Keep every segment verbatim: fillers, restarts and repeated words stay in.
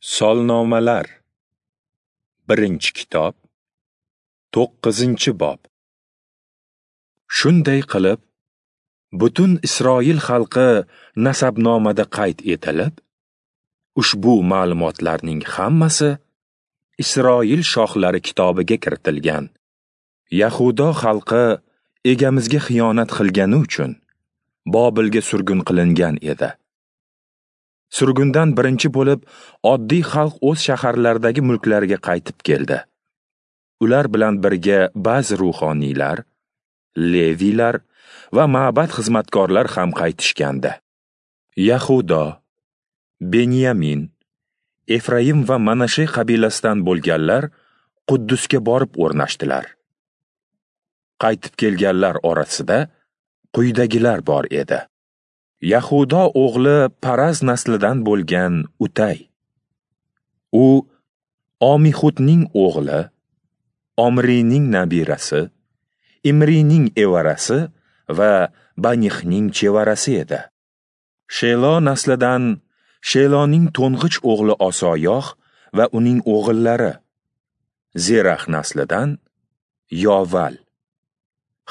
Solnomalar, birinchi kitob, to'qqizinchi bob. Shunday qilib, butun Isroil xalqi nasabnomada qayd etilib, ushbu ma'lumotlarning hammasi Isroil shohlari kitobiga kiritilgan. Yahudo xalqi egamizga xiyonat qilgani uchun Bobilga surgun qilingan edi. Surgundan birinchi bo'lib oddiy xalq o'z shaharlaridagi mulklariga qaytib keldi. Ular bilan birga ba'zi ruhoniylar, leviylar va ma'bad xizmatkorlar ham qaytishgandi. Yahudo, Benyamin, Efraim va Manashe qabilasidan bo'lganlar Quddusga borib o'rnashdilar. Qaytib kelganlar orasida quyidagilar bor edi. Yahudo o'g'li Paraz naslidan bo'lgan Utay. U Omihudning o'g'li, Omrining nabirasi, Imrining evarasi va Banihning chevarasi edi. Shelo naslidan Sheloning to'ng'ich o'g'li Osoyoh va uning o'g'illari, Zerax naslidan Yoval.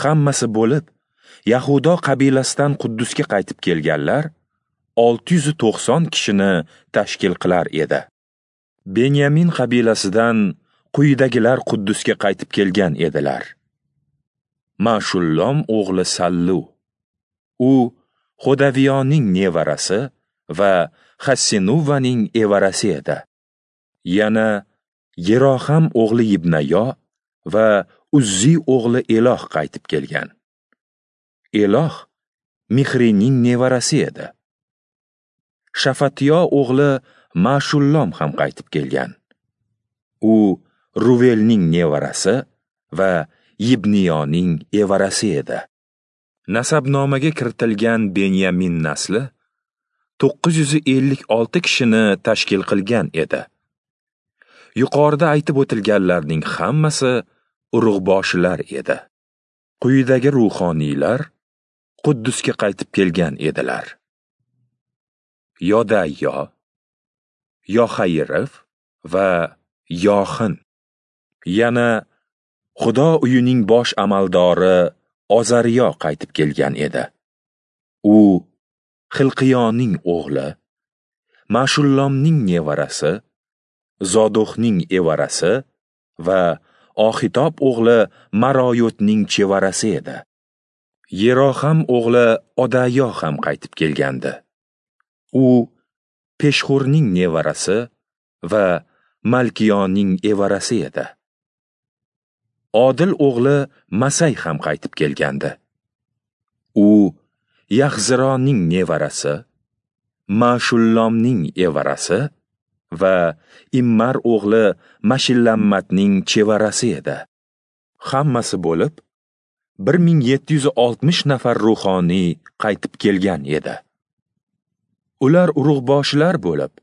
Hammasi bo'lib Yahudo qabilasidan Quddusga qaytib kelganlar olti yuz to'qson kishini tashkil qilar edi. Benyamin qabilasidan quyidagilar Quddusga qaytib kelgan edilar. Mashullom o'g'li Sallu. U Xodaviyoning nevarasi va Hassinuvaning evarasi edi. Yana Yeroham o'g'li Yibnayo va Uzzi o'g'li Eloh qaytib kelgan. Eloh Mixrining nevarasi edi. Shafatiyo o'g'li Mashullom ham qaytib kelgan. U Ruvelning nevarasi va Yibniyoning evarasi edi. Nasabnomaga kiritilgan Benyamin nasli to'qqiz yuz ellik olti kishini tashkil qilgan edi. Yuqorida aytib o'tilganlarning hammasi urug'boshilar edi. Quyidagi ruhoniylar Quddusga qaytib kelgan edilar. Yodayo, Yoxayirov va Yoxin. Yana Xudo uyining bosh amaldori Ozariyo qaytib kelgan edi. U Xilqiyoning o'g'li, Mashullomning nevarasi, Zodohning evarasi va Oxitob o'g'li Maroyotning chevarasi edi. Yeroham o'g'li Odayo ham qaytib kelgandi. U Peshxurning nevarasi va Malkiyoning evarasi edi. Odil o'g'li Masay ham qaytib kelgandi. U Yaxzironing nevarasi, Mashullomning evarasi va Immar o'g'li Mashillammatning chevarasi edi. Hammasi bo'lib bir ming yetti yuz oltmish nafar ruhoniy qaytib kelgan edi. Ular urug'boshilar bo'lib,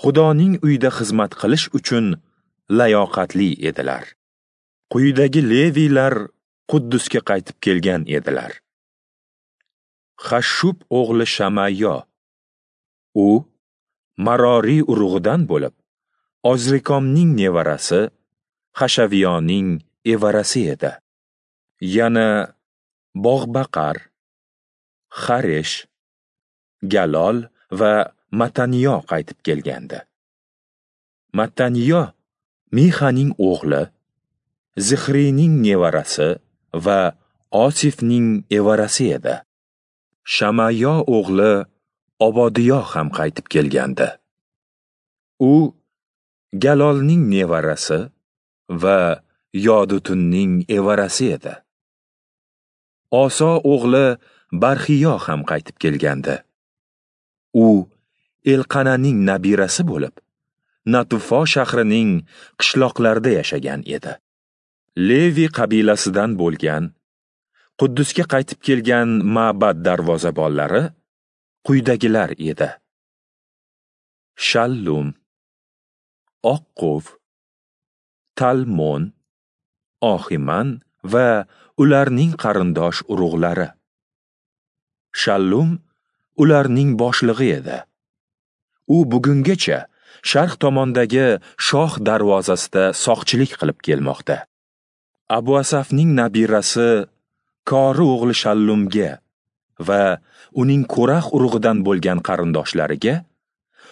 Xudoning uyida xizmat qilish uchun layoqatli edilar. Quyidagi leviylar Quddusga qaytib kelgan edilar. Hashshub o'g'li Shamayo. U Maroriy urug'idan bo'lib, Ozrikomning nevarasi, Hashaviyoning evarasi edi. Yana Bog'baqar, Xaresh, Galol va Mataniyo qaytib kelgandi. Mataniyo Mixaning o'g'li, Zixrining nevarasi va Osifning evarasi edi. Shamayo o'g'li Obodiyo ham qaytib kelgandi. U Galolning nevarasi va Yodutunning evarasi edi. Oso o'g'li Barxiyo ham qaytib kelgandi. U Elqananing nabirasi bo'lib, Natufo shahrining qishloqlarida yashagan edi. Levi qabilasidan bo'lgan, Quddusga qaytib kelgan ma'bad darvozabonlari quyidagilar edi. Shallum, Oqquv, Talmon, Oximan va ularning qarindosh urug'lari. Shallum ularning boshlig'i edi. U bugungacha sharq tomondagi shoh darvozasida soqchilik qilib kelmoqda. Abu Asafning nabirasi Kori o'g'li Shallumga va uning Ko'rax urug'idan bo'lgan qarindoshlariga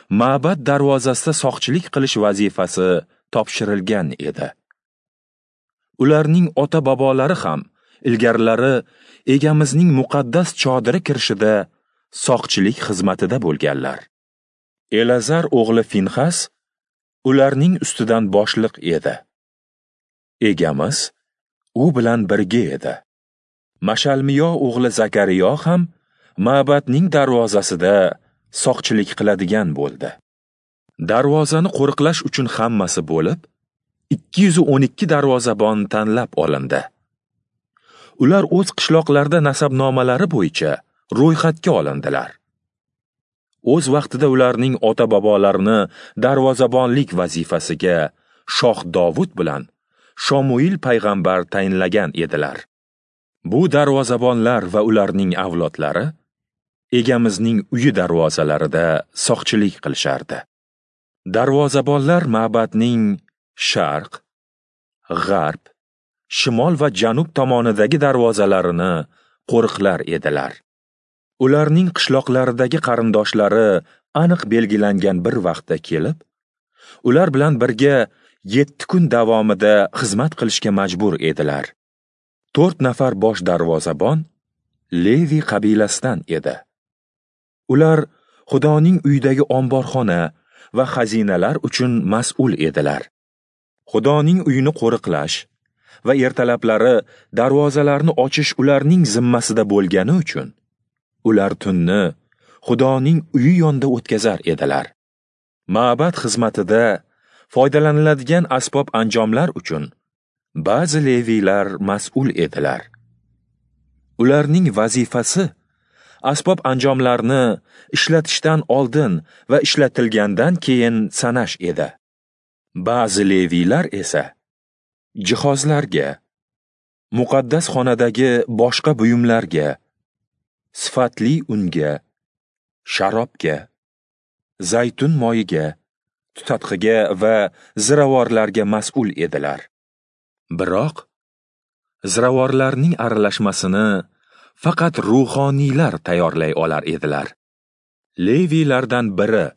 ma'bad darvozasida soqchilik qilish vazifasi topshirilgan edi. Ularning ota-bobolari ham ilgarilari egamizning muqaddas chodiri kirishida soqchilik xizmatida bo'lganlar. Elazar o'g'li Finxas ularning ustidan boshliq edi. Egamiz u bilan birga edi. Mashalmiyo o'g'li Zakariyo ham ma'badning darvozasida soqchilik qiladigan bo'ldi. Darvozani qo'riqlash uchun hammasi bo'lib ikki yuz o'n ikki darvozabon tanlab olindi. Ular o'z qishloqlarida nasabnomalari bo'yicha ro'yxatga olindilar. O'z vaqtida ularning ota-bobolarini darvozabonlik vazifasiga shoh Dovud bilan Shomuil payg'ambar tayinlagan edilar. Bu darvozabonlar va ularning avlodlari egamizning uyi darvozalarida soqchilik qilishardi. Darvozabonlar ma'badning sharq, g'arb, shimol va janub tomonidagi darvozalarini qo'riqlar edilar. Ularning qishloqlaridagi qarindoshlari aniq belgilangan bir vaqtda kelib, ular bilan birga yetti kun davomida xizmat qilishga majbur edilar. To'rt nafar bosh darvozabon Levi qabilasidan edi. Ular Xudoning uyidagi omborxona va xazinalar uchun mas'ul edilar. Xudoning uyini qo'riqlash va ertalablari darvozalarni ochish ularning zimmasida bo'lgani uchun ular tunni Xudoning uyi yonida o'tkazar edilar. Ma'bad xizmatida foydalaniladigan asbob-anjomlar uchun ba'zi leviylar mas'ul edilar. Ularning vazifasi asbob-anjomlarni ishlatishdan oldin va ishlatilgandan keyin sanash edi. Ba'zi leviylar esa jihozlarga, muqaddas xonadagi boshqa buyumlarga, sifatli unga, sharobga, zaytun moyiga, tutatqiga va ziravorlarga mas'ul edilar. Biroq ziravorlarning aralashmasini faqat ruhoniylar tayyorlay olar edilar. Leviylardan biri,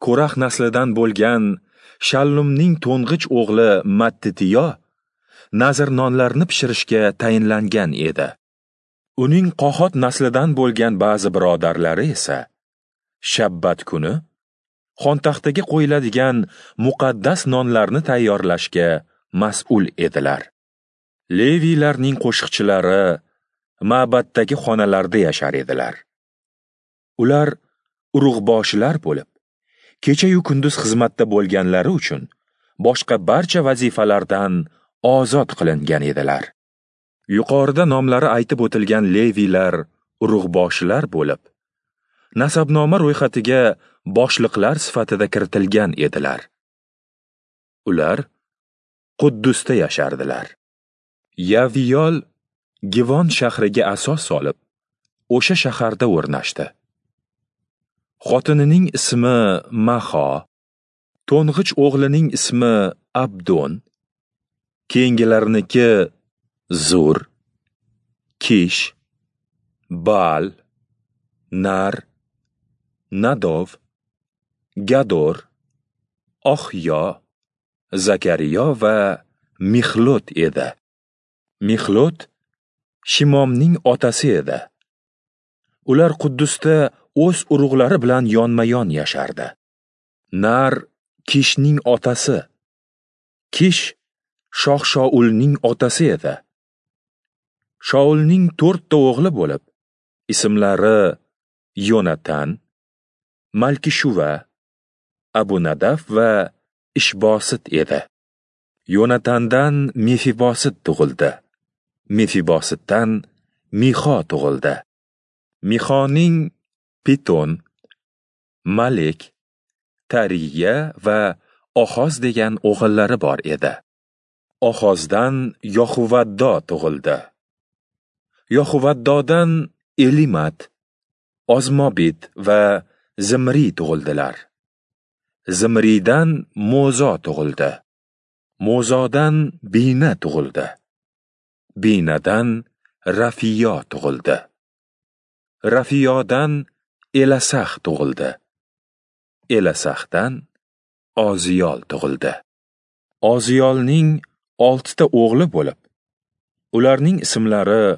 Ko'rax naslidan bo'lgan Shallumning to'ng'ich o'g'li Mattitiyo nazr nonlarni pishirishga tayinlangan edi. Uning Qohot naslidan bo'lgan ba'zi birodarlari esa shabbat kuni xontaxtaga qo'yiladigan muqaddas nonlarni tayyorlashga mas'ul edilar. Leviylarning qo'shiqchilari ma'baddagi xonalarda yashar edilar. Ular urug'boshilar bo'lib, kecha-yu kunduz xizmatda bo'lganlari uchun boshqa barcha vazifalardan ozod qilingan edilar. Yuqorida nomlari aytib o'tilgan leviylar urug'boshilar bo'lib, nasabnoma ro'yxatiga boshliqlar sifatida kiritilgan edilar. Ular Quddusda yashardilar. Yaviyol Givon shahriga asos solib, o'sha shaharda o'rnashdi. Xotinining ismi Maho, to'ng'ich o'g'lining ismi Abdon, keyingilarniki Zur, Kish, Baal, Nar, Nadov, Gador, Oxyo, Zakariyo va Mixlot edi. Mixlot Shimomning otasi edi. Ular Quddusda o'z urug'lari bilan yonma-yon yashardi. Nar Kishning otasi, Kish Shoh Shaulning otasi edi. Shaulning to'rtta o'g'li bo'lib, ismlari Yonatan, Malkishuva, Abunadaf va Ishbosit edi. Yonatandan Mefibosit tug'ildi. Mefibositdan Mixo tug'ildi. Mixoning Piton, Malek, Tariya va Ohoz degan o'g'illari bor edi. Ohozdan Yohuvaddo tug'ildi. Yohuvaddodan Elimat, Ozmobit va Zimri tug'ildilar. Zimriydan Mo'zo tug'ildi. Mo'zodan Bina tug'ildi. Binadan Rafiyo tug'ildi. Rafiyodan Elasax tug'ildi. Elasaxdan Oziyol tug'ildi. Oziyolning oltita o'g'li bo'lib, ularning ismlari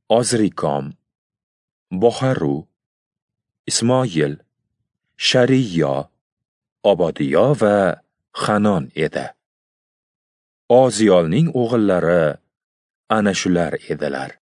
Ozrikom, Boharu, Ismoil, Shariyo, Obodiyo va Hanon edi. Oziyolning o'g'illari ana shular edilar.